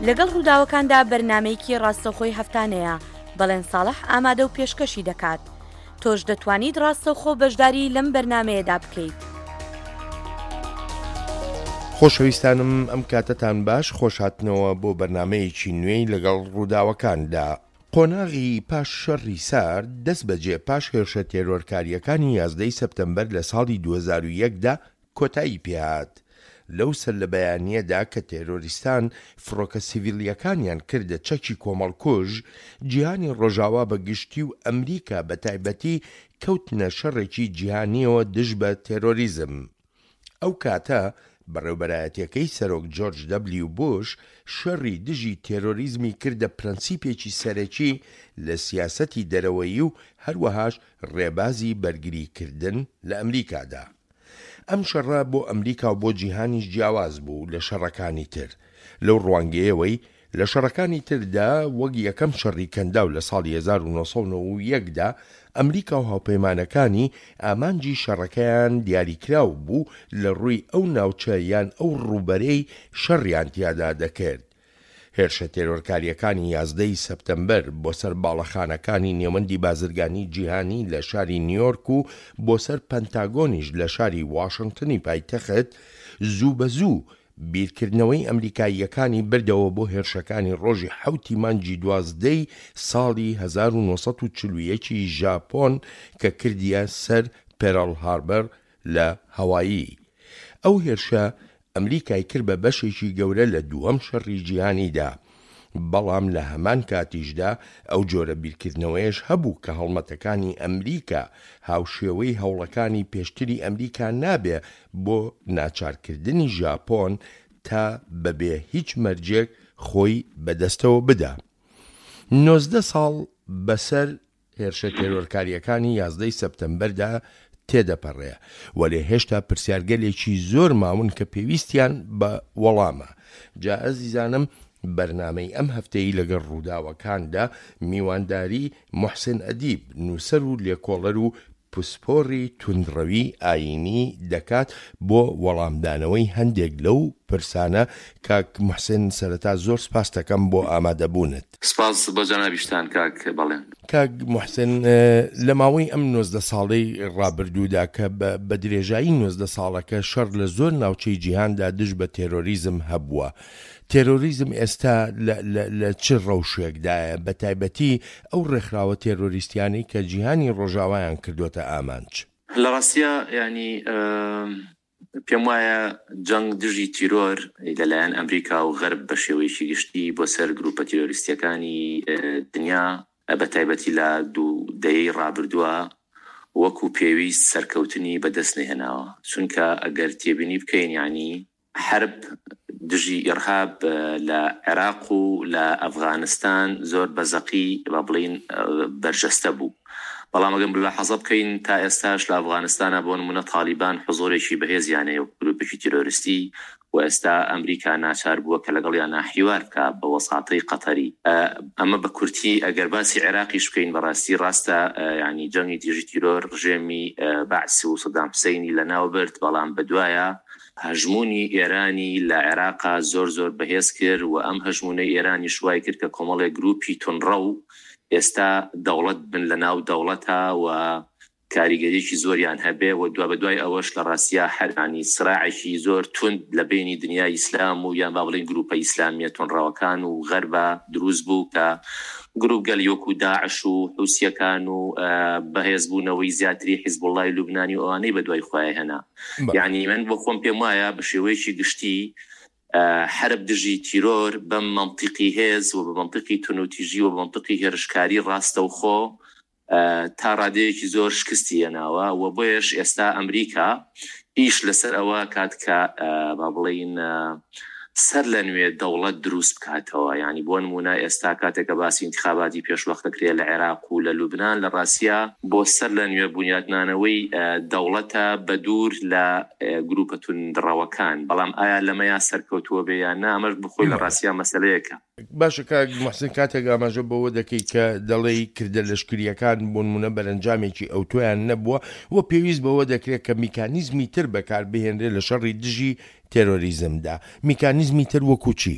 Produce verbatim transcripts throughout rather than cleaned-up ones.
لەگەڵ ڕووداوەکاندا بەرنامەیەکی ڕاستەوخۆی هەفتانەیە، بەڵێن ساڵح ئامادە و پێشکەشی دەکات. تۆش دەتوانیت ڕاستەوخۆ بەشداری لەم بەرنامەیەدا بکەیت. خۆشەویستانم ئەم کاتەتان باش، خۆشهاتنەوە بۆ بەرنامەیەکی نوێی لەگەڵ ڕووداوەکاندا. قۆناغی پاش شەڕی سارد دەست بەجێ پاش هێرشە تێرۆرکارییەکانی یازدە ی سەپتەمبەر لە ساڵی دوو هەزار و یەک دا کۆتایی پێهات. لەو سەرلەبەیانییەدا کە تێرۆریستان فڕۆکە سیڤیلییەکانیان کردە چەکی کۆمەڵکوژ، جیهانی ڕۆژاوا بە گشتی و ئەمریکا بە تایبەتی کەوتنە شەڕێکی جیهانییەوە دژ بە تێرۆریزم. ئەو کاتە بەڕێوبەرایەتیەکەی سەرۆک جۆرج دەبلیو بوش شەڕی دژی تێرۆریزمی کردە پرەنسیپێکی سەرەکی لە سیاسەتی دەرەوەیی و هەروەهاش ڕێبازی بەرگریکردن لە ئەمریکادا. ئەم شەڕە بۆ ئەمریکا و بۆ جیهانیش جیاواز بوو لە شەڕەکانی تر لەو ڕوانگەیەوەی لە شەڕەکانی تردا وەک یەکەم شەڕی کەنداو لە ساڵی هەزار و نۆ سەد و نەوەد و یەک دا ئەمریکا و هاوپەیمانەکانی ئامانجی شەڕەکەیان دیاریکراو بوو لە ڕووی ئەو ناوچە یان ئەو ڕووبەرەی شەڕیان تیادا دەکرد. هێرشە تێرۆرکارییەکانی یازدە ی سەپتەمبەر بۆ سەر باڵەخانەکانی نێوەندی بازرگانی جیهانی لە شاری نیۆرک و بۆ سەر پەنتاگۆنیش لە شاری واشنتنی پایتەخت زوو بە زوو بیرکردنەوەی ئەمریکاییەکانی بردەوە بۆ هێرشەکانی ڕۆژی حەوتی مانگی دوازدەی ساڵی هەزار و نۆ سەد و چل و یەک ی ژاپۆن کە کردیە سەر پێرڵ هاربەر لە هەوایی. ئەو هێرشە ئەمریکای کرد بە بەشێکی گەورە لە دووەم شەڕی جیهانیدا، بەڵام لە هەمان کاتیشدا ئەو جۆرە بیرکردنەوەیەش هەبوو کە هەڵمەتەکانی ئەمریکا هاوشێوەی هەوڵەکانی پێشتری ئەمریکا نابێ بۆ ناچارکردنی ژاپۆن تا بەبێ هیچ مەرجێک خۆی بەدەستەوە بدا. نۆزدە ساڵ بەسەر هێرشە تێرۆرکارییەکانی یازدە ی سەپتەمبەردا تێدەپەڕێ، وەلێ هێشتا پرسیارگەلێکی زۆر ماون کە پێویستیان بە وەڵامە. جا ئەزیزانم بەرنامەی ئەم هەفتەی لەگەڵ ڕووداوەکاندا میوانداری موحسن ئەدیب، نووسەر و لێکۆڵەر و پسپۆڕی توندڕەوی ئایینی دەکات بۆ وەڵامدانەوەی هەندێک لەو پرسانە. کاک موحسن سەرەتا زۆر سپاستەکەم بۆ ئامادەبوونت. سپاس بۆ جەنابیشتان کاک بەڵێن. کاک موحسن لە ماوەی ئەم نۆزدە ساڵەی ڕابردوودا کە بە درێژایی نۆزدە ساڵەکە شەڕ لە زۆر ناوچەی جیهاندا دژ بە تێرۆریزم هەبووە، تێرۆریزم ئێستا لە چ ڕەوشێکدایە، بە تایبەتی ئەو ڕێکخراوە تێرۆریستیانەی کە جیهانی ڕۆژاوایان کردۆتە ئامانج؟ لە ڕاستیا یانی پێم وایە جەنگ دژی تیرۆر لەلایەن ئەمریکا و غەرب بە شێوەیەکی گشتی بۆ سەر گروپە تیرۆریستیەکانی دنیا بە تایبەتی لە دوو دەیەی ڕابردووە وەکو پێویست سەرکەوتنی بەدەست نەهێناوە، چونکە ئەگەر تێبینی بکەین یانی حەرب دژی ئیرهاب لە عێراق و لە ئەفغانستان زۆر بە زەقی با بڵێین بەرجەستە بوو، بەڵام ئەگەر ملاحەزە بکەین تا ئێستاش لە ئەفغانستانا بۆ نموونە تالیبان حزوورێکی بەهێزیان هەیە وەک گرووپێکی تیرۆریستی و ئێستا ئەمریکا ناچار بووە کە لەگەڵیانا حیوار بکا بە وەساتەی قەتەری. ئەمە بە کورتی. ئەگەر باسی عێراقیش بکەین بەڕاستی ڕاستە یانی جەنگی دژی تیرۆر ڕژێمی بەعس و سەدام حوسەینی لەناو برد، بەڵام بەدوایە هەژموونی ئێرانی لە عێراقا زۆر زۆر بەهێز کرد و ئەم هەژموونەی ئێرانیش وای کرد کە کۆمەڵێک گرووپی توندڕەو ئێستا دەوڵەت بن لە ناو دەوڵەتا و کاریگەریەکی زۆریان هەبێ و دوابەدوای ئەوەش لە ڕاستیا حەرانی سراعێکی زۆر توند لە بەینی دنیای ئیسلام و یان با بڵێین گرووپە ئیسلامیە توندڕەوەکان و غەربا دروست بوو کە گرووپگەلی وەکوو داعش و حوسیەکان و بەهێزبوونەوەی زیاتری حیزبوڵڵای لوبنانی و ئەوانەی بەدوای خۆیان هێنا. یانی من بۆ خۆم پێم وایە بە شێوەیەکی گشتی حەرب دژی تیرۆر بەم مەنتیقی هێز و بە مەنتیقی تونوتیژی و بە مەنتیقی هێرشکاری ڕاستەوخۆ تا ڕادەیەکی زۆر شکستی هێناوە و بۆیەش ئێستا ئەمریکا ئیش لەسەر ئەوە کات کە با بڵێین سەر لە نوێ دەوڵەت دروست بکاتەوە. یانی بۆ نموونە ئێستا کاتێک کە باسی ئینتخاباتی پێشوەخت دەکرێ لە عێراق و لە لوبنان لە ڕاستیا بۆ سەر لە نوێ بونیادنانەوەی دەوڵەتە بە دوور لە گرووپە توندڕەوەکان. بەڵام ئایا لەمەیا سەرکەوتووە بێ یان نا ئەمەش بۆ خۆی لە ڕاستیا مەسەلەیەکە. باشە کاک موحسن کاتێک ئاماژە بەوە دەکەی کە دەڵێی کردە لەشکرییەکان بۆ نموونە بەرەنجامێکی ئەوتۆیان نەبووە و پێویست بەوە دەکرێت کە میکانیزمی تر بەکار بهێنرێت لە شەڕی دژی تێرۆریزمدا، میکانیزمی تر وەکوو چی؟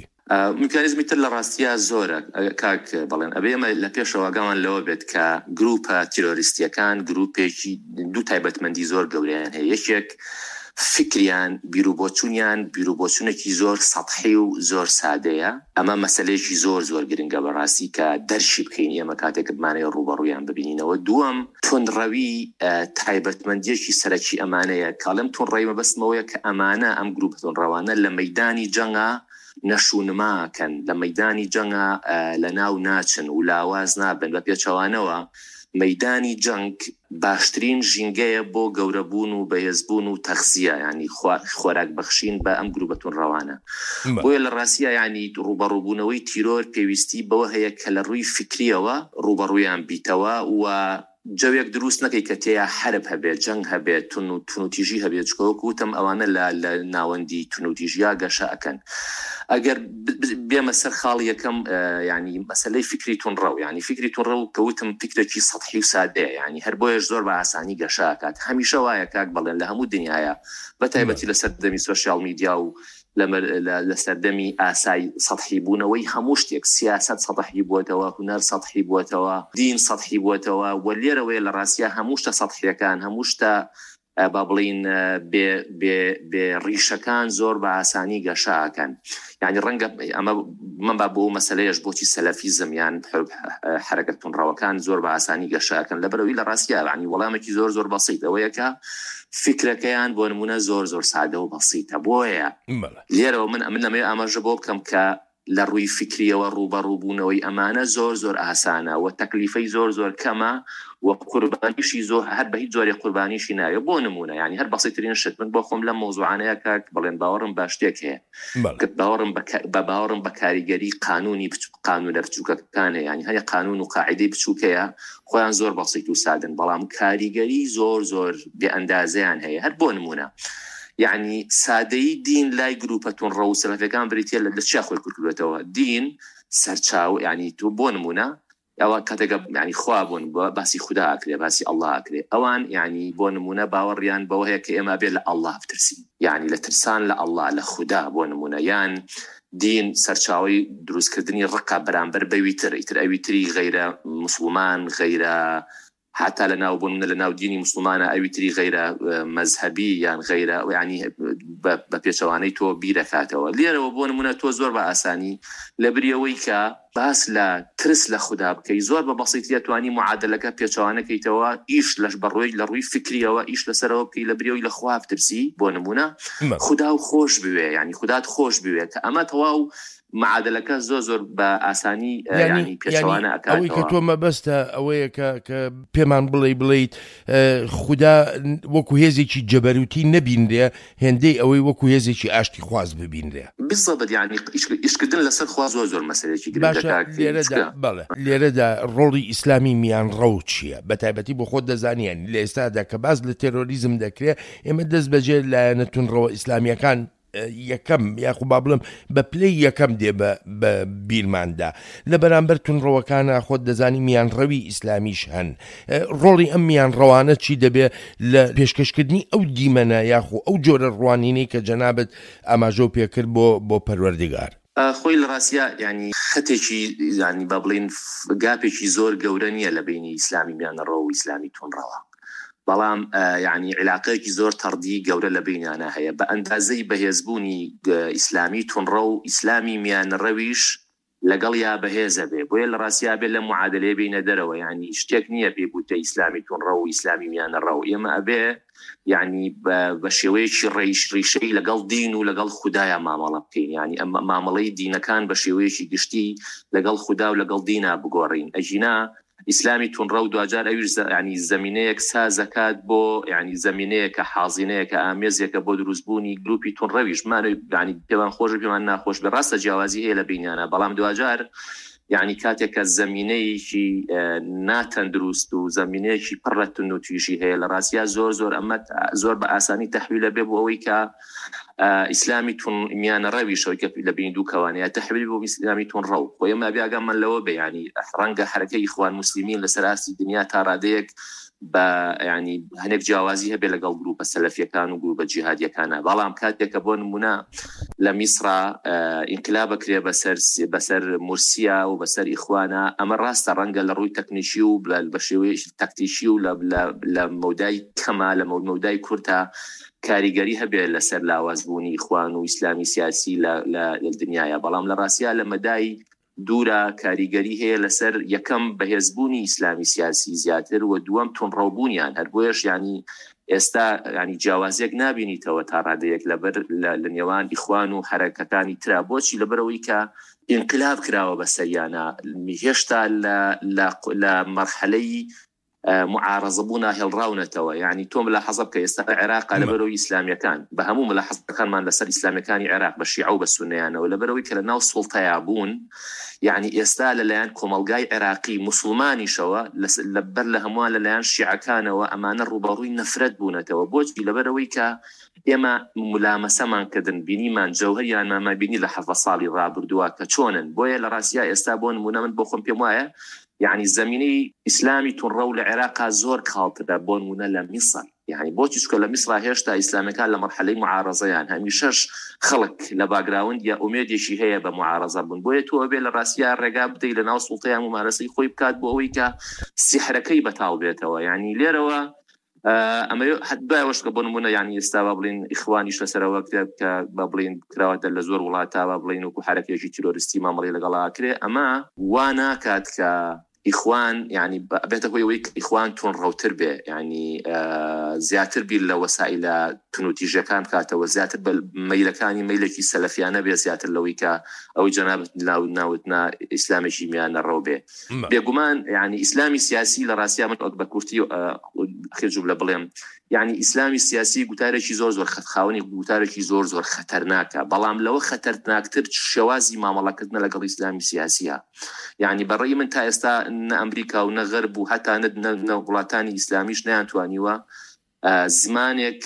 میکانیزمی تر لە ڕاستییا زۆرە کاک بەڵێن. ئەبێ ئێمە لە پێشەوە ئاگامان لەوە بێت کە گروپە تیرۆریستیەکان گروپێکی دوو تایبەتمەندی زۆر گەورەیان هەیە. یەکێک فکریان، بیروبۆچوونیان بیروبۆچوونێکی زۆر سەتحی و زۆر سادەیە. ئەمە مەسلەیەکی زۆر زۆر گرنگە بەڕاستی کە دەرشی بکەین ئێمە کاتێک بمانەوێت ڕووبەڕوویان ببینینەوە. دووەم، توندڕەوی تایبەتمەندیەکی سەرەکی ئەمانەیە. کاڵم توندڕەوی مەبەستمەوەیە کە ئەمانە ئەم گروپە توندڕەوانە لە مەیدانی جەنگا نەشونماکەن، لە مەیدانی جەنگا لە ناو ناچن و لاواز نابن. بە پێچەوانەوە مەیدانی جەنگ باشترین ژینگەیە بۆ گەورەبوون و بەهێزبوون و تەخزیە، ینی خۆراک بەخشین بە ئەم گروپە توندڕەوانە. بۆیە لە ڕاستیە ینی ڕووبەڕووبوونەوەی تیرۆر پێویستی بەوە هەیە کە لە ڕووی فکریەوە ڕووبەڕوویان بیتەوە و جەوێک دروست نەکەی کە تێیا حرب هەبێت، جەنگ هەبێت، تون و تونوتیژی هەبێت. چونکە وەکو وتم ئەوانە لە لە ناوەندی تونوتیژیا گەشە ئەکەن. ئەگەر بێمە سەر خاڵ یەکەم، ینی مەسلەی فکری تونڕەو، ینی فکری تونڕەو کە وتم فکرێکی سەتحی و سادەیە، ینی هەر بۆیەش زۆر بە ئاسانی گەشە ئەکات. هەمیشە وایە کاک بەڵێن لە هەموو دنیاە، بە تایبەتی لە سەردەمی سۆشیال میدیا و لە سەردەمی ئاسای سەتحی بوونەوەی هەموو شتێک، سیاست سەتحی بووەتەوە، هونەر سەتحی بووەتەوە، دین سەتحی بووەتەوە و لێرەوەیە لە ڕاستیە هەموو شتە سەتحیەکان، هەموو شتە با بڵین بێ بێ بێ ڕیشەکان زۆر بە ئاسانی گەشاکەن. یعنی ڕەنگە ئەمە من با بۆ مەسلەیەش بۆچی سەلەفیزم یان حرەکە توندڕەوەکان زۆر بە ئاسانی گەشاکەن، لەبەرەوەی لە ڕاستیە یعنی وەڵامێکی زۆر زۆر بەسیط ئەوەیە کە فکرەکەیان بۆ نمونە زۆر زۆر سادە و بەسیتە. بۆیە لێرەوە من ئەمن نەمەوێت ئاماژە بۆ بکەم کە لە ڕووی فکریەوە ڕووبەڕووبوونەوەی ئەمانە زۆر زۆر ئاسانە و تەکلیفەی زۆر زۆر کەمە و قوربانیشی زۆر هەر بە هیچ جۆرێک قوربانیشی ناوێت. بۆ نمونە یعنی هەر بەسیترین شت من بۆ خۆم لەم مەوزوعانەیە کاک بڵێن باوەڕم بە شتێک هەیە، باوەڕم بە باوەڕم بە کاریگەری قانونی قانونە بچووکەکان هەیە. یعنی هەیە قانون و قاعدەی بچووکەیە خۆیان زۆر بەسیت و سادن، بەڵام کاریگەری زۆر زۆر بێ ئەندازەیان هەیە. هەر بۆ نمونە یعنی سادەی دین لای گروپە توندڕەو و سەلەفیەکان بریتیە لە چیا خۆی کورتکردوێتەوە. دین سەرچاو، یعنی تۆ بۆ نمونە ئەوە کاتێک یعنی خوا بوون باسی خودا ئەکرێ، باسی ئەڵڵا ئەکرێ، ئەوان یعنی بۆ نمونە باوەڕیان بەوە هەیە کە ئێمە بێ لە ئەڵڵا بترسین، یعنی لە ترسان لە ئەڵڵا لە خودا بۆ نمونە. یان دین سەرچاوی دروستکردنی ڕقە بەرامبەر بەویتر، ئیتر ئەویتری غەیرە مسلمان، غەیرە حتی لە ناو بوون لە ناو دینی مسلمانە ئەویتری غەیرە مەزهەبی یان غەیرە یعنی بە پێچەوانەی تۆ بیرەکاتەوە. لێرەوە بۆ نمونە تۆ زۆر بە ئاسانی لە بریەوەی کە باس لە ترس لە خودا بکەی زۆر بە بەسیتیە توانی معادلەکە پێچەوانەکەیتەوە، ئیش لەش بەڕۆی لە ڕووی فکریەوە ئیش لەسەرەوە بکەی لە بریەوەی لە خوا بترسی. بۆ نمونە خودا و خۆش بوێ، یعنی خودات خۆش بوێ، کە ئەمە تەواو معادلەکە زۆر زۆر بە ئاسانی یعنی پێچەوانە ئەکاتەوە. ئەوەی کە تۆ مەبەستە ئەوەیە کە کە پێمان بڵێ بڵێیت خودا وەکو هێزێکی جەبەروتی نەبینرێ هێندەی ئەوەی وەکو هێزێکی ئاشتی خواز ببینرێ. بالضبط، یعنی ئیشکردن لەسەر خوا زۆر زۆر مەسەلەیەکی گرنگە کاک. لێرەدا بەڵێ لێرەدا ڕۆڵی ئیسلامی میان ڕەو چییە؟ بە تایبەتی بۆ خۆت دەزانیان لە ئێستادا کە باس لە تێرۆریزم دەکرێ ئێمە دەست بەجێ لایەنە توندڕەوە ئیسلامیەکان یەکەم یاخو با بڵێم بە پلەی یەکەم دێ بە بیرماندا. لە بەرامبەر توندڕەوەکانە خۆت دەزانی میانڕەوی ئیسلامیش هەن. ڕۆڵی ئەم میانڕەوانە چی دەبێ لە پێشکەشکردنی ئەو دیمەنە یاخو ئەو جۆرە ڕوانینەی کە جەنابت ئاماژە و پێکرد بۆ بۆ پەروەردگار؟ خۆی لە ڕاستیە یعنی خەتێکی یعنی با بڵێین گاپێکی زۆر گەورە نییە لە بینی ئیسلامی میانڕەو و ئیسلامی توندڕەوە، بەڵام یعنی علاقەیەکی زۆر تەڕدی گەورە لە بینیانە هەیە. بە ئەندازەی بەهێزبوونی ئیسلامی توندڕەو و ئیسلامی میانڕەویش لەگەڵ یا بەهێزە بێ. بۆیە لە ڕاستیا بێ لە معادلەیە بینە دەرەوە، یعنی شتێک نییە پێی بوتە ئیسلامی توندڕەو و ئیسلامی میانڕەو. ئێمە ئەبێ یعنی بە شێوەیەکی ڕیش ڕیشەی لەگەڵ دین و لەگەڵ خودایە مامەڵە بکەین، یعنی ئەم مامەڵەی دینەکان بە شێوەیەکی گشتی لەگەڵ خودا و لەگەڵ دینا بگۆڕین. ئەژینا ئیسلامی توندڕەو دواجار ئەویش یعنی زەمینەیەک سازەکات بۆ یعنی زەمینەیەکە حازینەیەکە ئامێزێکە بۆ دروستبوونی گروپی توندڕەویش. مانەوەی یعنی پێمان خۆش پێمان ناخۆش بێ، ڕاستە جیاوازی هەیە لە بینیانە، بەڵام دواجار یعنی کاتێک کە زەمینەیەکی ناتەندروست و زەمینەیەکی پڕ لە توندوتیژی هەیە لە ڕاستیا زۆر زۆر ئەمە زۆر بە ئاسانی تەحویلە بێ بۆ ئەوەی کە ئیسلامی میانەڕەویشەوەی کە لە بین دوو کەوانەیە تەحویل بۆ ئیسلامی توندڕەو. خۆ ئێمە ئەبێ ئاگامان لەوە بێ، یعنی ڕەنگە حەرەکەی ئیخوان موسلمین لەسەر ئاستی دنیا تا ڕادەیەک بە ینی هەنێک جیاوازی هەبێ لەگەڵ گروپە سەلەفیەکان و گروپە جیهادیەکانە. بەڵام کاتێک کە بۆ نمونە لە میسرا ئینقلاب بکرێ بەسەر بەسەر مورسیا و بەسەر ئیخوانە، ئەمە ڕاستە ڕەنگە لە ڕووی تەکنیکی و بە شێوەی تەکتیکی و لە مەودای کەمە لە مەودای کورتە کاریگەری هەبێت لەسەر لاوازبوونی ئیخوان و ئیسلامی سیاسی لە دنیاە. بەڵام لە ڕاستیا لە مەدای دوورە کاریگەری هەیە لەسەر یەکەم بەهێزبوونی ئیسلامی سیاسی زیاتر و دووەم توندڕەوبوونیان. هەر بۆیەش ینی ئێستا ینی جیاوازیەک نابینیتەوە تا ڕادەیەک لەبەر لە نێوان ئیخوان و حەرەکەکانی ترا. بۆچی؟ لەبەرەوەی کە ئینقلاب کراوە بەسەریانە، هێشتا لە مەرحەلەی معارەزە بوونا هێڵڕاونەتەوە. یعنی تۆ ملاحەزە بکە ئێستا عێراق لەبەرەوەی ئیسلامیەکان بە هەموو ملاحەزەکانمان لەسەر ئیسلامیەکانی عێراق بە شیعە و بە سوننەیانەوە، لەبەرەوەی کە لە ناو سوڵتەیا بوون، یعنی ئێستا لەلایەن کۆمەڵگای عێراقی موسڵمانیشەوە لەبەر لە هەمووان لەلایەن شیعەکانەوە ئەمانە ڕووبەڕووی نەفرەت بوونەتەوە. بۆچی؟ لەبەرەوەی کە ئێمە ملامەسەمان کردن، بینیمان جەوهەریانمان بینی لە حەڤدە ساڵی ڕابردووە کە چۆنن. بۆیە لە ڕاستیا ئێستا بۆ نمونە من بۆ خۆم پێم وایە یعنی زمینەی ئیسلامی توندڕەو لە عێراقا زۆر کاڵترە بۆ نمونە لە میسر. یعنی بۆچی؟ چونکە لە میسرا هێشتا ئیسلامەکان لە مەرحەلەی معارەزەیان، هەمیشەش خەڵک لە background یا ئومێدێکی هەیە بە معارەزە بوون. بۆیە تۆ ئەبێ لە ڕاستیا ڕێگا بدەی لە ناو سوڵتەیان ممارەسەی خۆی بکات بۆ ئەوەی کە سیحرەکەی بەتاڵ بێتەوە. یعنی لێرەوە ئەمە دوای ئەوەش کە بۆ نمونە یعنی ئێستا با بڵین ئیخوانیش لەسەرەوە کرێت کە با بڵین کراوەتە لە زۆر وڵاتە با بڵین وەکو حەرەکێکی تیرۆریستی مامەڵەی لەگەڵا کرێ، ئەمە وا ناکات کە ئیخوان یعنی بێتە هۆی ئەوەی ئیخوان توندڕەوتر بێ، یعنی زیاتر بیر لە وەسائلە تونوتیژەکان بکاتەوە، زیاتر بە مەیلەکانی مەیلێکی سەلەفیانە بێ، زیاتر لەوەی کە ئەوەی جەنابت ناوتنا ئیسلامێکی میانەڕەو بێ. بێگومان یعنی ئیسلامی سیاسی لە ڕاستیا من بە کورتی ئەخیر جوملە بڵێم، یعنی ئیسلامی سیاسی گوتارێکی زۆر زۆر خاوەنی گوتارێکی زۆر زۆر خەتەرناکە، بەڵام لەوە خەتەرناکتر شێوازی مامەڵەکردنە لەگەڵ ئیسلامی سیاسیە. یعنی بەڕێی من تا ئێستا نە ئەمریکا و نە غەرب و هەتا نە وڵاتانی ئیسلامیش نەیانتوانیوە زمانێک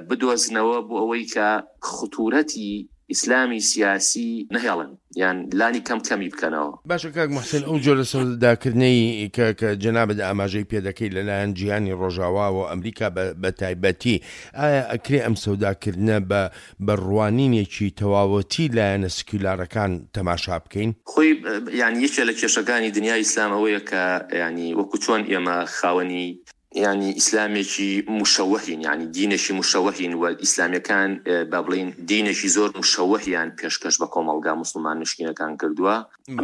بدۆزنەوە بۆ ئەوەی کە خطورەتی ئیسلامی سیاسی نەهێڵن یان لانی کەم کەمی بکەنەوە. باشە کاک محسن، ئەو جۆرە سەوداکردنەی کە کە جەنابت ئاماژەی پێدەکەی لەلایەن جیهانی ڕۆژاواوە ئەمریکا بە تایبەتی، ئایا ئەکرێ ئەم سەوداکردنە بە بە ڕوانینێکی تەواوەتی لایەنە سکیولارەکان تەماشا بکەین؟ خۆی یعنی یەکێ لە کێشەکانی دنیای ئیسلام ئەوەیە کە یعنی وەکو چۆن ئێمە خاوەنی یعنی ئیسلامێکی مشەوەهین، یعنی دینێکی مشەوەهین و ئیسلامیەکان با بڵین دینێکی زۆر مشەوەهیان پێشکەش بە کۆمەڵگا موسڵمان نشینەکان کردووە.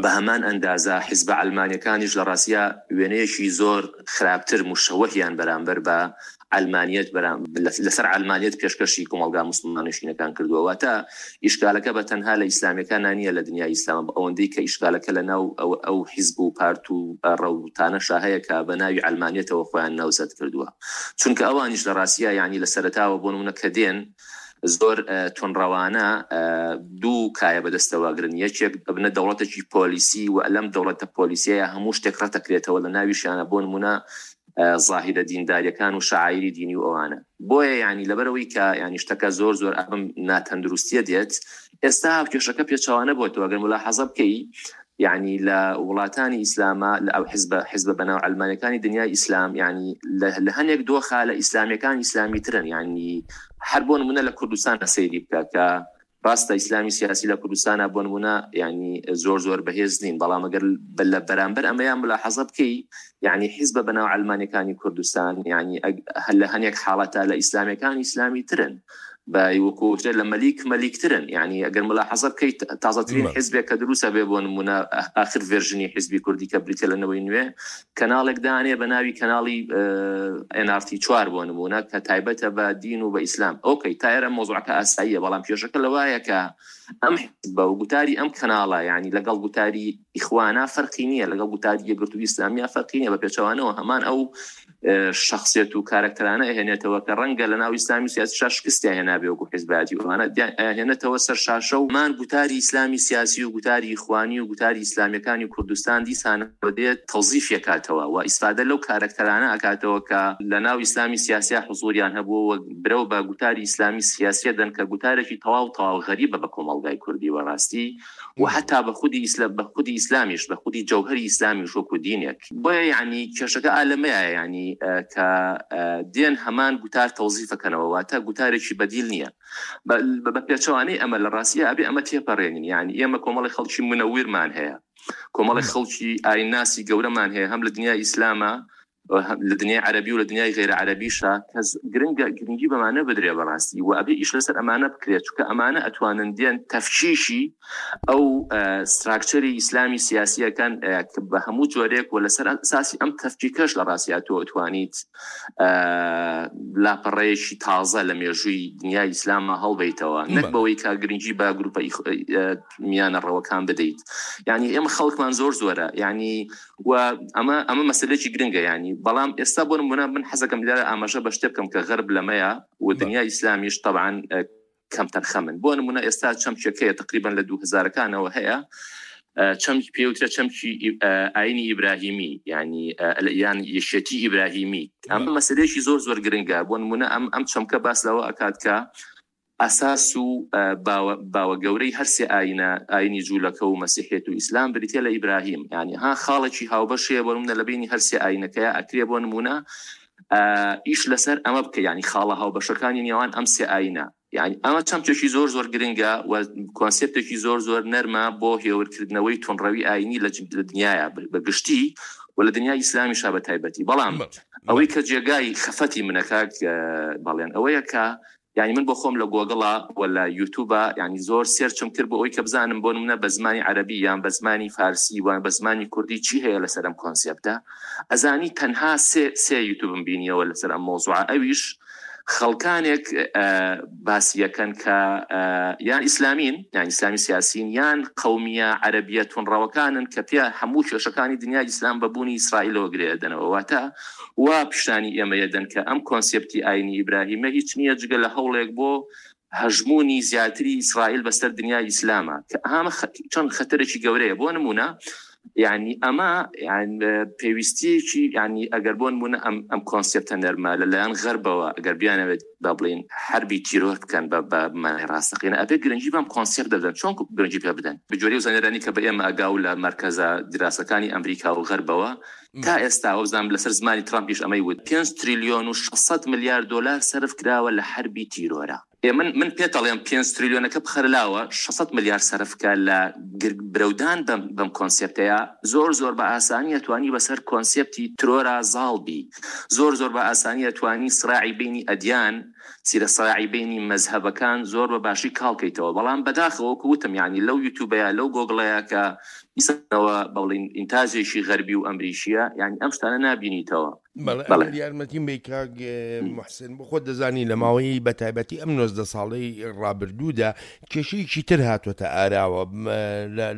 بە هەمان ئەندازە حیزبە عەلمانیەکانیش لە ڕاستیا وێنەیەکی زۆر خراپتر مشەوەهیان بەرامبەر بە عەلمانیەت لەسەر عەلمانیەت پێشکەشی کۆمەڵگا موسڵمان نشینەکان کردووە. واتە ئیشکالەکە بە تەنها لە ئیسلامیەکان نییە لە دنیای ئیسلام، ئەوەندەی کە ئیشکالەکە لە ناو ئەو حیزب و پارت و ڕەوتانەشا هەیە کە بە ناوی عەلمانیەتەوە خۆیان ناوزەد کردووە. چونکە ئەوانیش لە ڕاستیا یعنی لە سەرەتاوە بۆ نمونە کە دێن زۆر توندڕەوانە دوو کایە بەدەستەوە گرن، یەکێک بنە دەوڵەتێکی پۆلیسی و لەم دەوڵەتە پۆلیسیەیە هەموو شتێک ڕەتەکرێتەوە لە ناویشیانە بۆ نمونە ظاهرە دینداریەکان و شعایری دینی و ئەوانە. بۆیە یعنی لەبەرەوەی کە یعنی شتەکە زۆر زۆر ئەم ناتەندروستیە دێت، ئێستا کێشەکە پێچەوانە بۆتەوە. ئەگەر ملاحەزە بکەی یعنی لە وڵاتانی ئیسلامە لە ئەو حزب حزب بەناو عەلمانیەکانی دنیای ئیسلام، یعنی لە هەنێک دۆخە لە ئیسلامیەکان ئیسلامی ترن. یعنی هەر بۆ نمونە لە کوردستان سەیری بکە کە ڕاستە ئیسلامی سیاسی لە کوردستانە بۆ نمونە یعنی زۆر زۆر بەهێز نین، بەڵام ئەگەر لە بەرامبەر ئەمەیان ملاحەزە بکەی یعنی حیزبە بەناو عەلمانیەکانی کوردستان یعنی لە هەنێک حاڵەتە لە ئیسلامیەکان ئیسلامی ترن، بە وەکو لە مەلیک مەلیکترن. یعنی ئەگەر ملاحەزە بکەیت تازەترین حیزبێک کە دروستە بێ بۆ نمونە ئاخر version ی حیزبی کوردی کە بریتە لە نەوەی نوێ، کەناڵێک دانێ بە ناوی کەناڵی ئێن ئار تی چوار بۆ نمونە کە تایبەتە بە دین و بە ئیسلام. okay تا ئێرە مۆزوعەکە ئاساییە، بەڵام کێشەکە لەوایە کە ئەم حیزبە و گوتاری ئەم کەناڵە یعنی لەگەڵ گوتاری ئیخوانا فەرقی نییە، لەگەڵ گوتاری یەکگرتووی ئیسلامیە فەرقی نییە، بە پێچەوانەوە هەمان ئەو شخصیت و کارکتەرانە ئەهێنێتەوە کە ڕەنگە لە ناو ئیسلامی سیاسیشا شکستیان هێنابێت. هەیە وەکو حیزبایەتی و ئەمانە ئەیانهێنێتەوە سەر شاشە و مان گوتاری ئیسلامی سیاسی و گوتاری ئیخوانی و گوتاری ئیسلامیەکانی کوردستان دیسانەوە دێت تەوزیف ئەکاتەوە و ئیسفادە لەو کارەکتەرانە ئەکاتەوە کە لە ناو ئیسلامی سیاسیا حزوریان هەبووە و برەو بە گوتاری ئیسلامی سیاسیە دەن کە گوتارێکی تەواو تەواو غەریبە بە کۆمەڵگای کوردی بەڕاستی و حتا بە خودی ئیسلام بە خودی ئیسلامیش بە خودی جەوهەری ئیسلامیش وەکو دینێک. بۆیە یعنی کێشەکە ئالەمەیە یعنی کە دێن هەمان گوتار تەوزیفەکەنەوە، واتە گوتارێکی بەدیل نییە. بە پێچەوانەی ئەمە لە ڕاستیە ئەبێ ئەمە تێپەڕێنین. یعنی ئێمە کۆمەڵی خەڵکی منەویرمان هەیە، کۆمەڵی خەڵکی ئایناسی گەورەمان هەیە، هەم لە دنیای ئیسلامە لە دنیای عەرەبی و لە دنیای غەیرە عەرەبیشە کەس گرنگە گرنگی بەمانە بدرێ بەڕاستی و ئەبێ ئیش لەسەر ئەمانە بکرێت، چونکە ئەمانە ئەتوانن دێن تەفکیشی ئەو ستراکچەری ئیسلامی سیاسیەکان بە هەموو جۆرێک و لەسەر ئەساسی ئەم تەفکیکەش لە ڕاستیا تۆ ئەتوانیت لاپەڕەیەکی تازە لە مێژووی دنیای ئیسلامە هەڵبیتەوە، نەک بەوەی کە گرنگی بە گروپە میانە ڕەوەکان بدەیت. یعنی ئێمە خەڵکمان زۆر زۆرە، یعنی و ئەمە ئەمە مەسەلەیەکی گرنگە. یعنی بەڵام ئێستا بۆ نمونە من حەزەکەم لێرە ئاماژە بە شتێ بکەم کە غەرب لەمەیە و دنیای ئیسلامیش طبعا کەمتەرخەمن. بۆ نمونە ئێستا چەمکێک هەیە تقریبا لە دوو هەزارەکانەوە هەیە، چەمکی پێوترە چەمکی ئاینی ئیبراهیمی، یعنی یان یەشێتی ئیبراهیمی. ئەمە مەسەلەیەکی زۆر زۆر گرنگە. بۆ نمونە ئەم ئەم چەمکە باس لەوە ئەکات کە ئەساس و باوە گەورەی هەرسێ ئاینە، ئاینی جوولەکە و مەسیحیەت و ئیسلام بریتە لە ئیبراهیم. یعنی ها خاڵێکی هاوبەشەیە بۆ نمونە لە بینی هەرسێ ئاینەکەیە ئەکرێ بۆ نمونە ئیش لەسەر ئەمە بکە، یعنی خاڵە هاوبەشەکانی نێوان ئەم سێ ئاینە. یعنی ئەمە چەمکێکی زۆر زۆر گرنگە و کۆنسێپتێکی زۆر زۆر نەرمە بۆ هێورکردنەوەی تونڕەوی ئاینی لە دنیاە بە گشتی و لە دنیای ئیسلامیشا بە تایبەتی. بەڵام ئەوەی کە جێگای خەفەتی منەکە بەڵێن ئەوەیە کە یعنی من بۆ خۆم لە گۆگڵا و لە یوتیوبا یعنی زۆر search م کرد بۆ ئەوەی کە بزانم بۆ نمونە بە زمانی عەرەبی یان بە زمانی فارسی وان بە زمانی کوردی چی هەیە لەسەر ئەم concept ە. ئەزانی تەنها سێ سێ یوتیوبم بینیەوە لەسەر ئەم مەوزوعە، ئەویش خەڵکانێک باسیەکەن کە یان ئیسلامین یان ئیسلامی سیاسین یان قەومیە عەرەبیە تونڕەوەکانن کە پێ هەموو کێشەکانی دنیای ئیسلام بە بوونی ئیسرائیلەوە گرێدەنەوە. واتە وا پیشانی ئێمە یەدەن کە ئەم کۆنسێپتی ئاینی ئیبراهیمە هیچ نییە جگە لە هەوڵێک بۆ هەژمونی زیاتری ئیسرائیل بەسەر دنیای ئیسلامە، کە ئەمە چەند خەتەرێکی گەورەیە. بۆ نمونە یعنی ئەمە پێویستیەکی یعنی ئەگەر بۆ نمونە ئەم ئەم کۆنسێپتە نەرمە لەلایەن غەربەوە ئەگەر بیانەوێت با بڵێین حربی تیرۆر بکەن بە بە مانای ڕاستەقینە ئەبێ گرنگی بەم کۆنسێپت دەدەن. چۆن گرنگی پێ بدەن؟ بە جۆرەی زانیارانی کە بە ئێمە ئەگاو لە مەرکەزە دیراسەکانی ئەمریکا و غەربەوە تا ئێستا وەبزانم لەسەر زمانی ترامپیش ئەمەی وت پێنج تریلیۆن و شەش سەد ملیار دۆلار سەرف کراوە لە حربی تیرۆرە. من من پێت ئەڵێم پێنج تریلیۆنەکە بخەرە لاوە شەش سەد ملیار سەرفکە لە برەودان بەم بەم کۆنسێپتەیە. زۆر زۆر بە ئاسانی ئەتوانی بەسەر کۆنسێپتی ترۆرا زاڵ بی، زۆر زۆر بە ئاسانی ئەتوانی سراعی بینی ئەدیان سیرە سراعی بینی مەزهەبەکان زۆر بە باشی کاڵکەیتەوە. بەڵام بەداخەوە وەکو وتم یعنی لەو یوتیوبەیە لەو گۆگڵەیە کە ئیسەوە بەڵین ئینتاجێکی غەربی و ئەمریکیە، یعنی ئەم شتانە نابینیتەوە. بەڵێ یارمەتیم بی کاک محسن، بۆ خۆت دەزانی لە ماوەی بە تایبەتی ئەم نۆزدە ساڵەی ڕابردوودا کێشەیەکی تر هاتووەتە ئاراوە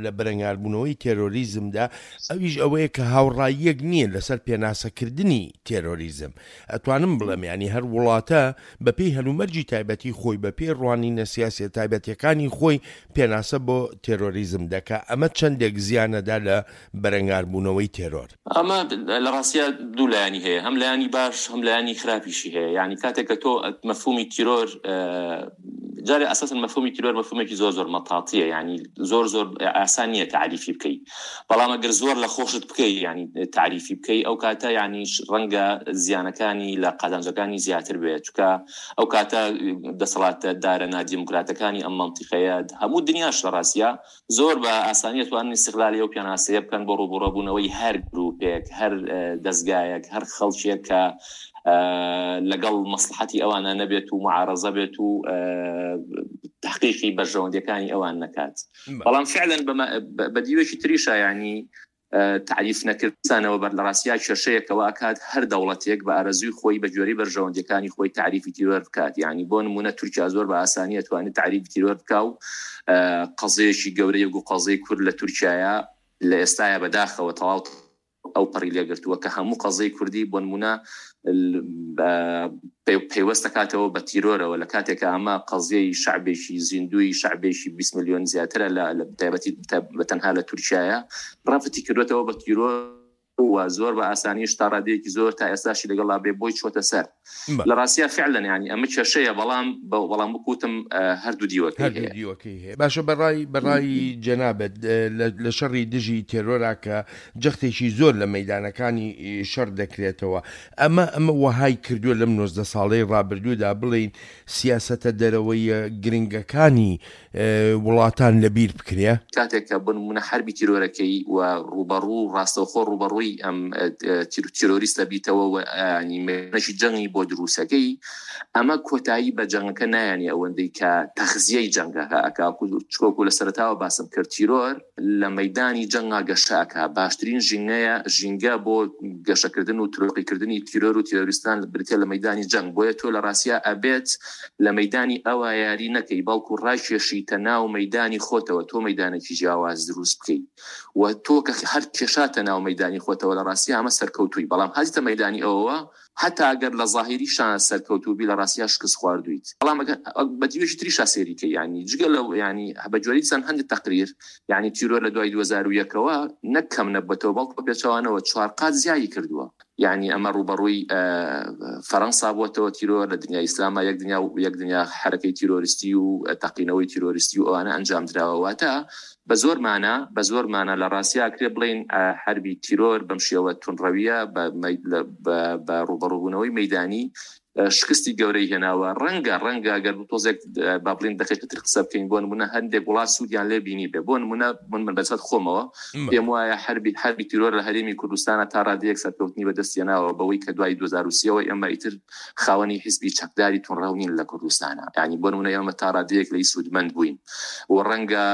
لە بەرەنگاربوونەوەی تێرۆریزمدا، ئەویش ئەوەیە کە هاوڕاییەک نییە لەسەر پێناسەکردنی تێرۆریزم. ئەتوانم بڵێم ینی هەر وڵاتە بەپێی هەلومەرجی تایبەتی خۆی بەپێی ڕوانینە سیاسیە تایبەتیەکانی خۆی پێناسە بۆ تێرۆریزم دەکا. ئەمە چەندێک زیانەدا لە بەرەنگاربوونەوەی تێرۆر؟ ئەمە لە ڕاستیە دوو لایەنی هەیە، هەم لایەنی باش هەم لایەنی خراپیشی هەیە. یعنی کاتێک کە تۆ مەفهومی تیرۆر جارێ ئەساسەن مەفهومی تیرۆر مەفهومێکی زۆر زۆر مەتاتیە، یعنی زۆر زۆر ئاسان نییە تعریفی بکەی. بەڵام ئەگەر زۆر لە خۆشت بکەی یعنی تعریفی بکەی ئەو کاتە یعنی ڕەنگە زیانەکانی لە قازانجەکانی زیاتر بێت، چونکە ئەو کاتە دەسەڵاتدارە نادیموکراتەکانی ئەم مەنتیقەیە هەموو دنیاش لە ڕاستیە زۆر بە ئاسانیە توانن ئیستغلالی ئەو پێناسەیە بکەن بۆ ڕووبەڕووبوونەوەی هەر گروپێک، هەر دەستگایەک، هەر خەڵکێک کە لەگەڵ مەسلحەتی ئەوانە نەبێت و معارەزە بێت و تحقیقی بەرژەوەندیەکانی ئەوان نەکات. بەڵام فعلا بە دیوێکی تریشە یعنی تعریف نەکردنەوە بەر لە ڕاستیا کێشەیەکەوە ئەکات هەر دەوڵەتێک بە ئارەزووی خۆی بە گوێرەی بەرژەوەندیەکانی خۆی تعریفی تیرۆر بکات. یعنی بۆ نمونە تورکیا زۆر بە ئاسانی ئەتوانێت تعریفی تیرۆر بکا و قەزەیەکی گەورەیەک و قەزەی کورد لە تورکیایە لە ئێستایا بەداخەوە تەواو ئەو پەڕی لێگرتووە کە هەموو قەزیەی کوردی بۆ نمونە پەیوەست دەکاتەوە بە تیرۆرەوە، لە کاتێکە ئەمە قەزیەی شعبێکی زیندوی شعبێکی بیست ملیۆن زیاترە لە تایبەتی بە تەنها لە تورکیایە ڕەفتی کردوێتەوە بە تیرۆر و زۆر بە ئاسانیش تا ڕادەیەکی زۆر تا ئێستاشی لەگەڵا بێ بۆی چۆتە سەر. لە ڕاستیا فعلا یعنی ئەمە کێشەیە، بەڵام بەڵام بکوتم هەردوو دیوەکەی هەردوو دیوەکەی هەیە. باشە، بەڕای بەڕای جەنابەت لە شەڕی دژی تێرۆرا کە جەختێکی زۆر لە مەیدانەکانی شەڕ دەکرێتەوە، ئەمە ئەمە وەهای کردووە لەم نۆزدە ساڵەی ڕابردوودا بڵێین سیاسەتە دەرەوەیە گرنگەکانی وڵاتان لەبیر بکرێ؟ کاتێک کە بۆ نمونە حربی تیرۆرەکەی و ڕوبەڕوو ڕاستەوخۆ ڕوبەڕووی ئەم تیرۆریستە بیتەوە و ینی مێنەشی جەنگی بۆ دروستەکەی، ئەمە کۆتایی بە جەنگەکە نایانی ئەوەندەی کە تەخزیەی جەنگەکە ئەکا. چکۆکو لە سەرەتاوە باسم کرد تیرۆر لە مەدانی جەنگا گەشە ئەکا، باشترین ژینگەیە ژینگە بۆ گەشەکردن و ترۆقیکردنی تیرۆر و تیرۆریستان بریتیە لە مەدانی جەنگ. بۆیە تۆ لە ڕاستیا ئەبێت لە مەدانی ئەوە یاری نەکەی، بەڵکو ڕاکێشیتە ناو مەدانی خۆتەوە، تۆ مەدانێکی جیاواز دروست بکەیت و تۆ کە هەر کێشاتە ناو مەدانی خۆتەوە لە ڕاستیا ئەمە سەرکەوتووی. بەڵام هەزیتە مەدانی ئەوەوە حتا ئەگەر لە ظاهریشان سەرکەوتوو بی لە ڕاستیا شکست خواردویت. بەڵام بە دیوێکی تریشا سێریکە، یعنی جگە لەو یعنی بە جۆری چەند هەندێک تەقریر یعنی تیرۆر لە دوای دوو هەزار و یەکەوە نەک کەم نەبێتەوە، بەڵکو بە پێچەوانەوە چوار قات زیایی کردووە. یعنی ئەمە ڕوبەڕووی فەرەنسا بووەتەوە تیرۆر لە دنیای ئیسلاما، یەک دنیا یەک دنیا حرەکەی تیرۆریستی و تەقینەوەی تیرۆریستی و ئەوانە ئەنجام دراوە. واتە بە زۆر مانە بە زۆر مانە لە ڕاستیا کرێ بڵێن حربی تیرۆر بەم شێوە تونڕەویە بە ڕوبەڕووبوونەوەی مەدانی شکستی گەورەی هێناوە. ڕەنگە ڕەنگە ئەگەر تۆزێک با بڵین دقیقتر قسە بکەین، بۆ نمونە هەندێک وڵات سوودیان لێ بینی بێ. بۆ نمونە من من بەسەر خۆمەوە پێم وایە حربی حربی تیرۆر لە هەرێمی کوردستانە تا ڕادەیەک سەرکەوتنی بەدەست هێناوە، بەوەی کە دوای دوو هەزار و سێوە ئێمە ئیتر خاوەنی حیزبی چەکداری تونڕەو نین لە کوردستانە. یعنی بۆ نمونە ئێمە تا ڕادەیەک لەی سوودمەند بووین و ڕەنگە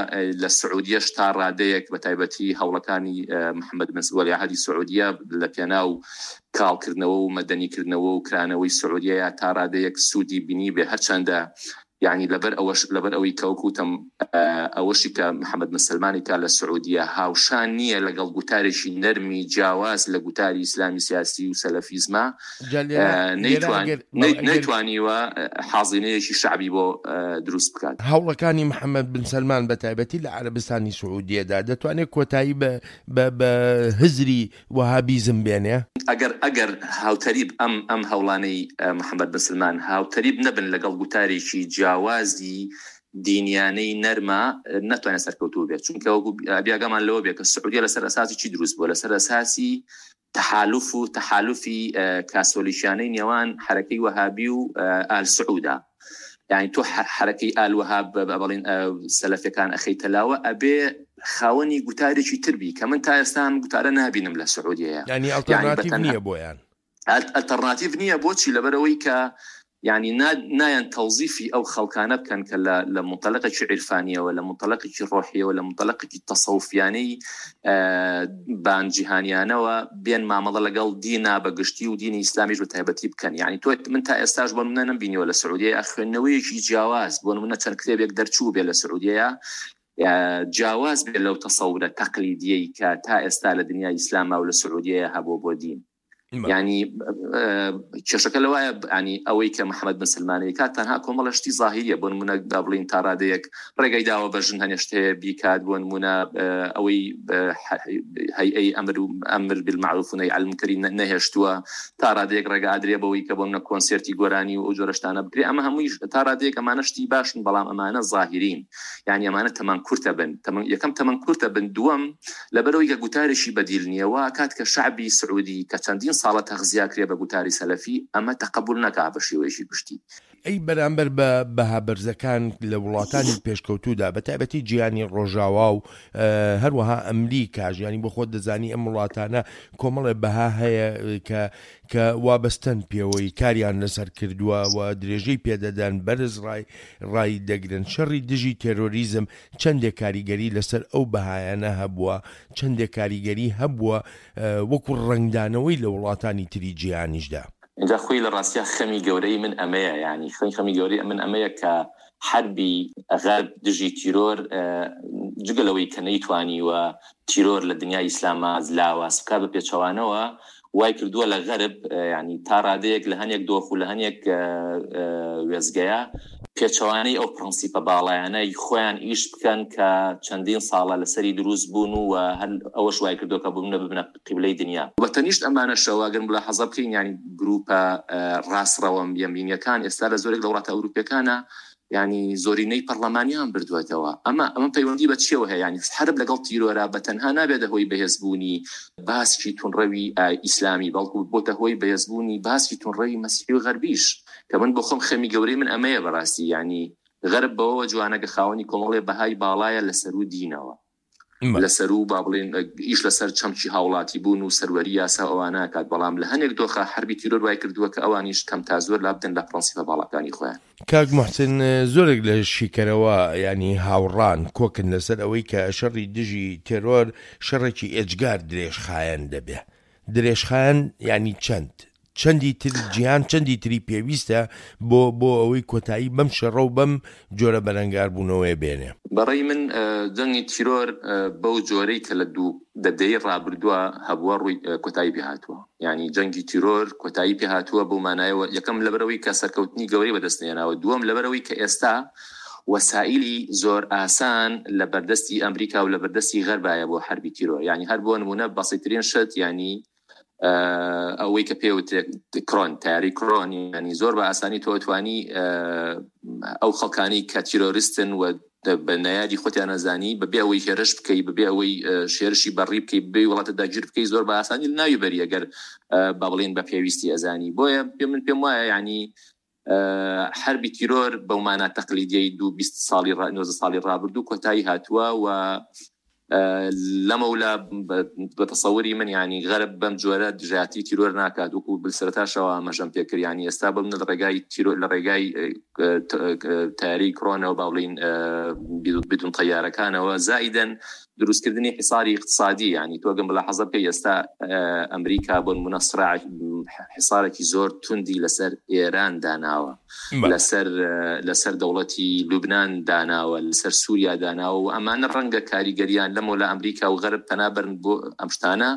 لە سعودیەش تا ڕادەیەک بە تایبەتی هەوڵەکانی محەممەد بن وەلیعەهدی سعودیە لە پێناو کاڵکردنەوە و مەدەنیکردنەوە و کرانەوەی سعودیە تا ڕادەیەک سوودی بینی بێ. هەرچەندە یعنی لەبەر ئەوەش لەبەر ئەوەی کەوکوتم ئەوەشی کە محەممەد بن سەلمانی کا لە سعودیە هاوشان نییە لەگەڵ گوتارێکی نەرمی جیاواز لە گوتاری ئیسلامی سیاسی و سەلەفیزمە، نەیتوانیوە حاضینەیەکی شعبی بۆ دروست بکات. هەوڵەکانی محەممەد بن سەلمان بە تایبەتی لە عەرەبستانی سعودیەدا دەتوانێت کۆتایی بە هزری وەهابیزم بێنێ؟ ئەگەر ئەگەر هاوتەریب ئەم ئەم هەوڵانەی محەممەد بن سەلمان هاوتەریب نەبن لەگەڵ گوتارێکی جیاوازی دینیانەی نەرمە، ناتوانێت سەرکەوتوو بێت. چونکە وەکو بیاگەمان لەوە بێت کە سعودیە لەسەر ئەساسی چی دروست بووە؟ لەسەر ئەساسی تحالف و تحالفی کاسۆلیشیانەی نێوان حرەکەی وەهابی و ئال سعودا. یعنی تۆ حرەکەی ئال وەهاب بەڵین سەلەفەکان ئەخەیتە لاوە، ئەبێ خاوەنی گوتارێکی تر بی کە من تا ئێستا ئەم گوتارە نابینم لە سعودیەیە. یعنی ئەڵتەرناتیڤ نییە بۆیان؟ ئەلتەرناتیڤ نییە. بۆچی؟ لەبەرەوەی کە یعنی نایەن تەوزیفی ئەو خەڵکانە بکەن کە لە منطلقێکی عیرفانیەوە، لە منطلقێکی ڕۆحیەوە، لە منطلقێکی تەسەوفیانەی بان جیهانیانەوە بێن مامەڵە لەگەڵ دینا بە گشتی و دینی ئیسلامیش بە تایبەتی بکەن. یعنی تۆ من تا ئێستاش بۆ نمونە نەمبینیوە لە سعودیە خوێندنەوەیەکی جیاواز، بۆ نمونە چەند کتێبێک دەرچوو بێ لە سعودیە جیاواز بێ لەو تەسەورە تەقلیدیەی کە تا ئێستا لە دنیای ئیسلاما و لە سعودیە هەبوو بۆ دین. یعنی کێشەکە لەوایە ینی ئەوەی کە محەممەد بن سەلمانی کات تەنها کۆمەڵە شتی ظاهریە. بۆ نمونە با بڵین تا ڕادەیەک ڕێگەی داوە بە ژن هەنێشت هەیە بیکات، بۆ نمونە ئەوەی هەیئەی ئەمر و ئەمر بالمعروف و نەهی عن المنکری نەهێشتووە، تا ڕادەیەک ڕێگە ئادرێ بەوەی کە بۆ منە کۆنسێرتی گۆرانی و ئەو جۆرە شتانە بکرێ. ئەمە هەمووی تا ڕادەیەک ئەمانە شتی باشن، بەڵام ئەمانە ظاهرین، یعنی ئەمانە تەمان کورتە بن. یەکەم تەمان کورتە بن، دووەم لەبەرەوەی کە گوتارێکی بەدیل نییە، وا کات کە شعبی سعودی کە چەندین ساڵە تەغزیا کرێ بە گوتاری سەلەفی، ئەمە تەقەبول نەکا بە شێوەیەکی گشتی. ئەی بەرامبەر بە بەها بەرزەکان لە وڵاتانی پێشکەوتوودا بە تایبەتی جیهانی ڕۆژاوا و هەروەها ئەمریکاش، یعنی بۆ خۆت دەزانی ئەم وڵاتانە کۆمەڵێ بەها هەیە کە کە وابەستەن پێوەی کاریان لەسەر کردووە و درێژەی پێدەدەن، بەرز ڕای ڕای دەگرن. شەڕی دژی تێرۆریزم چەندێک کاریگەری لەسەر ئەو بەهایانە هەبووە، چەندێک کاریگەری هەبووە وەکو ڕەنگدانەوەی لە وڵاتانی تری جیهانیشدا؟ اینجا خۆی لە ڕاستیا خەمی گەورەی من ئەمەیە، یعنی خەمی گەورەی من ئەمەیە کە حربی غەرب دژی تیرۆر جگە لەوەی کە نەیتوانیوە تیرۆر لە دنیای ئیسلاما لاواز بکات، بە پێچەوانەوە وای کردووە لە غەرب ینی تا ڕادەیەک لە هەنێک دۆخ و لە هەنێک وێزگەیە پێچەوانەی ئەو پرەنسیپە باڵایانەی خۆیان ئیش بکەن کە چەندین ساڵە لەسەری دروست بوون و هەر ئەوەش وای کردووە کە ببنە ببنە قیبلەی دنیا. بە تەنیشت ئەمانەشەوە ئەگەر ملاحەزە بکەین، یعنی گروپە ڕاستڕەوە یەمینیەکان ئێستا لە زۆرێک لە وڵاتە ئەوروپیەکانە یعنی زۆرینەی پەرلەمانیان بردووەتەوە. ئەمە ئەمە پەیوەندی بە چیەوە هەیە؟ یعنی حرب لەگەڵ تیرۆرە بە تەنها نابێتە هۆی بەهێزبوونی باسکی تونڕەوی ئیسلامی، بەڵکو بۆتە هۆی بەهێزبوونی باسکی تونڕەوی مەسیحی و غەربیش، کە من بۆ خۆم خەمی گەورەی من ئەمەیە بەڕاستی. یعنی غەرب بەوەوە جوانە کە خاوەنی کۆمەڵێ بەهای باڵایە لەسەر و دینەوە، لەسەر و با بڵێن ئیش لەسەر چەمکی هاوڵاتی بوون و سەروەری یاسا ئەوانە کات، بەڵام لە هەنێک دۆخە حربی تیرۆر وای کردووە کە ئەوانیش کەم تا زۆر لابدەن لە پرەنسیپە باڵاکانی خۆیان. کاک محسن، زۆرێک لە شیکەرەوە ینی هاوڕان کۆکن لەسەر ئەوەی کە شەڕی دژی تێرۆر شەڕێکی ئێجگار درێژخایەن دەبێ. درێژخایەن ینی چەند چەندی تر جیهان چەندی تری پێویستە بۆ بۆ ئەوەی کۆتایی بەم شەڕە و بەم جۆرە بەرەنگاربوونەوەی بێنێ؟ بەڕێی من جەنگی تیرۆر بەو جۆرەی کە لە دوو دەدەی ڕابردووە هەبووە ڕووی کۆتایی پێهاتووە. یعنی جەنگی تیرۆر کۆتایی پێهاتووە بەو مانایەوە، یەکەم لەبەرەوەی کە سەرکەوتنی گەورەی بەدەست نێناوە، دووەم لەبەرەوەی کە ئێستا وەسائلی زۆر ئاسان لە بەردەستی ئەمریکا و لە بەردەستی غەربایە بۆ حربی تیرۆر. یعنی هەر بۆ نمونە بەسیترین شت، یعنی ئەوەی کە پێوترێت کرۆن، تیاری کرۆن، ینی زۆر بە ئاسانی تۆ توانی ئەو خەڵکانی کە تیرۆریستن و بە نەیاری خۆتیان نەزانی بەبێ ئەوەی هێرش بکەی، بەبێ ئەوەی شێرشی بەڕی بکەی، بەبێ وڵاتە داگیر بکەی، زۆر بە ئاسانی لە ناوی بەری ئەگەر با بڵێن بە پێویستی ئەزانی. بۆیە من پێم وایە یعنی حربی تیرۆر بەو مانا تەقلیدیەی دوو بیست ساڵی نۆزدە ساڵی ڕابردوو کۆتایی هاتووە و لەمەولا بە تەسەوری من یعنی غەرب بەم جۆرە دژایەتی تیرۆر ناکات، وەکو سەرەتاشەوە ئاماژەم پێکرد. یعنی ئێستا بم لە ڕێگای تیرۆر، لە ڕێگای تیاری کرۆنەوە با بڵێین بدون تەیارەکانەوە، زائیدەن دروستکردنی حساری اقتصادی. یعنی تۆ ئەگەر ملاحەزە بکەی ئێستا ئەمریکا بۆ نمونە سراع حسارێکی زۆر توندی لەسەر ئێران داناوە، لەسەر لەسەر دەوڵەتی لوبناان داناوە، لەسەر سووریا داناوە و ئەمانە ڕەنگە کاریگەریان لەمەوە لە ئەمریکا و غەرب پەنابەرن بۆ ئەم شتانە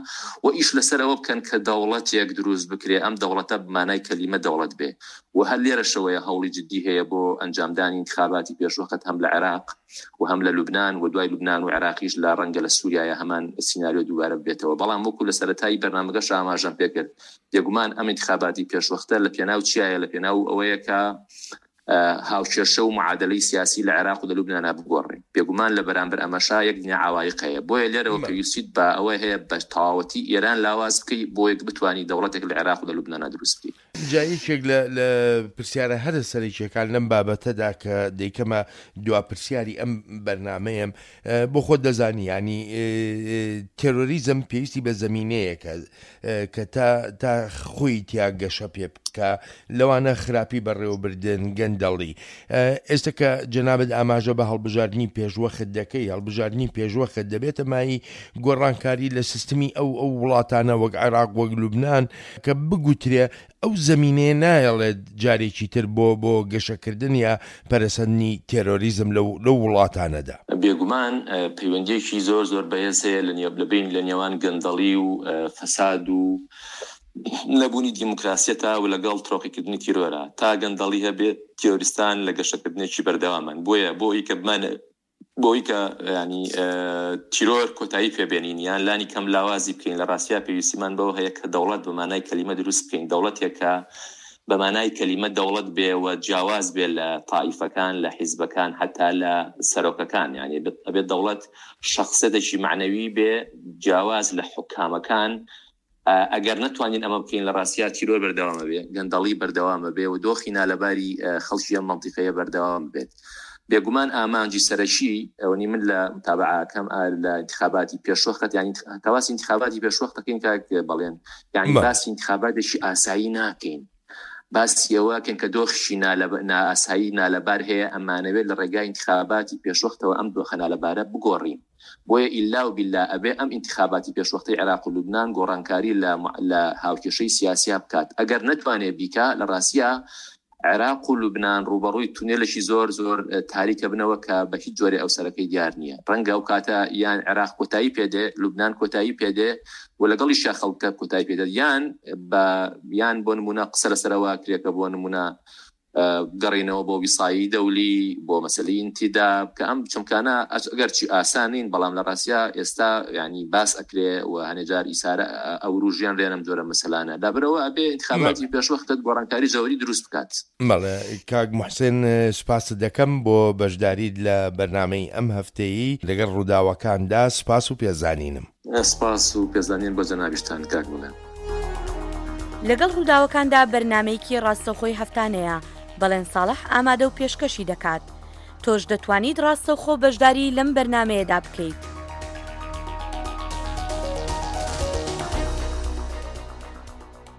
و ئیش لەسەر ئەوە بکەن کە دەوڵەتێک دروست بکرێ، ئەم دەوڵەتە بمانای کەلیمە دەوڵەت بێ. و هەر لێرەشەوەیە هەوڵی جدی هەیە بۆ ئەنجامدانی انتخاباتی پێشوەخت هەم لە عێراق و هەم لە لوبناان و دوای لوبناان و عێراقیش لە ڕەنگە لە سووریایە هەمان سیناریۆ دووبارە ببێتەوە. بەڵام وەکو لە سەرەتای بەرنامەکەش ئاماژەم پێکرد، بێگومان ئەم انتخاباتی پێشوەختە لە پێناو چیایە؟ لە پێناو ئەوەیە کە هاوکێشە و معادلەی سیاسی لە عێراق و لە لوبنانا بگۆڕێ. بێگومان لە بەرامبەر ئەمەشا یەک دنیا عوایق هەیە. بۆیە لێرەوە پێویستیت بە ئەوەی هەیە بە تەواوەتی ئێران لاواز بکەی بۆ یەک بتوانی دەوڵەتێک لە عێراق و لە لوبنانا دروست بکەی. جا یەکێک لە پرسیارە هەرە سەرەکیەکان لەم بابەتەدا کە دەیکەمە دوا پرسیاری ئەم بەرنامەیەم، بۆ خۆت دەزانی ینی تێرۆریزم پێویستی بە زەمینەیەکە کە تا تا خۆی تیا گەشە پێ بکە، لەوانە خراپی بەڕێوەبردن، گەندەڵی. ئێستا کە جەنابت ئاماژە بە هەڵبژاردنی پێشوەخت دەکەی، هەڵبژاردنی پێشوەخت دەبێتە مایی گۆڕانکاری لە سیستمی ئەو ئەو وڵاتانە وەک عێراق وەک لوبناان کە بگوترێ ئەو زەمینەیە نایەڵێت جارێکی تر بۆ بۆ گەشەکردن یا پەرەسەندنی تێرۆریزم لەو لەو وڵاتانەدا. بێگومان پەیوەندیەکی زۆر زۆر بەهێز هەیە لە بین لە نێوان گەندەڵی و فەساد و نەبوونی دیموکراسیەتە و لەگەڵ ترۆقیکردنی تیرۆرە. تا گەندەڵی هەبێت تیرۆریستان لە گەشەکردنێکی بەردەوامن. بۆیە بۆ ئەوەی کە بمانە بۆی کە ینی تیرۆر کۆتایی پێبێنین یان لانی کەم لاوازی بکەین، لە ڕاستیا پێویستیمان بەوە هەیە کە دەوڵەت بە مانای کەلیمە دروست بکەین، دەوڵەتێک کە بە مانای کەلیمە دەوڵەت بێ و جیاواز بێ لە تائیفەکان، لە حیزبەکان، حتا لە سەرۆکەکان. یعنی ئەبێت دەوڵەت شخصیەتێکی معنەوی بێ جیاواز لە حکامەکان. ئەگەر نەتوانین ئەمە بکەین لە ڕاستیا تیرۆر بەردەوامە بێ، گەندەڵی بەردەوامە بێ و دۆخی نالەباری خەڵکی ئەم مەنتیقەیە بەردەوام بێت. بێگومان ئامانجی سەرەکی ئەوەنی من لە متابعەکەم لە انتخاباتی پێشوەخت، یعنی کە باسی انتخاباتی پێشوەخت دەکەین کاک بەڵێن، یعنی باسی انتخاباتێکی ئاسایی ناکەین، باسی ئەوەکەن کە دۆخشی نائاسایی نالەبار هەیە، ئەمانەوێت لە ڕێگای انتخاباتی پێشوەختەوە ئەم دۆخە نالەبارە بگۆڕین. بۆیە ئیلا و بیلا ئەبێ ئەم انتخاباتی پێشوەختەی عێراق و لوبناان گۆڕانکاری لە هاوکێشەی سیاسیا بکات. ئەگەر نەتوانێت بیکا لە ڕاستیا عێراق و لوبناان ڕوبەڕووی تونێلێکی زۆر زۆر تاریکە بنەوە کە بە هیچ جۆرێ ئەو سەرەکەی دیار نییە. ڕەنگە ئەو کاتە یان عێراق کۆتایی پێدێ، لوبناان کۆتایی پێدێ و لەگەڵیشا خەڵکە کۆتایی پێدێت، یان بە یان بۆ نمونە قسە لەسەرەوە کرێکە بۆ نمونە گەڕینەوە بۆ ویسایی دەولی، بۆ مەسەلەی ئینتیداب، کە ئەم چەمکانە ئەگەرچی ئاسان نین بەڵام لە ڕاستیا ئێستا ینی باس ئەکرێ و هەنێجار ئیسارە ئەوروژیان لێنم جۆرە مەسەلانە لابەرەوە ئەبێ انتخاباتی پێشوەختت گۆڕانکاری جەوری دروست بکات. بەڵێ کاک محسن سوپاست دەکەم بۆ بەشداریت لە بەرنامەی ئەم هەفتەیە لەگەڵ ڕووداوەکاندا. سوپاس و پێزانینم. سپاس و پێزانین بۆ جەنابیشتان کاک بڵێن. لەگەڵ ڕووداوەکاندا بەرنمەیەکی ڕاستەوخۆی هەفتانەیە، بەڵێن ساڵح ئامادە و پێشکەشی دەکات. تۆش دەتوانیت ڕاستەوخۆ بەشداری لەم بەرنمەیەدا بکەیت.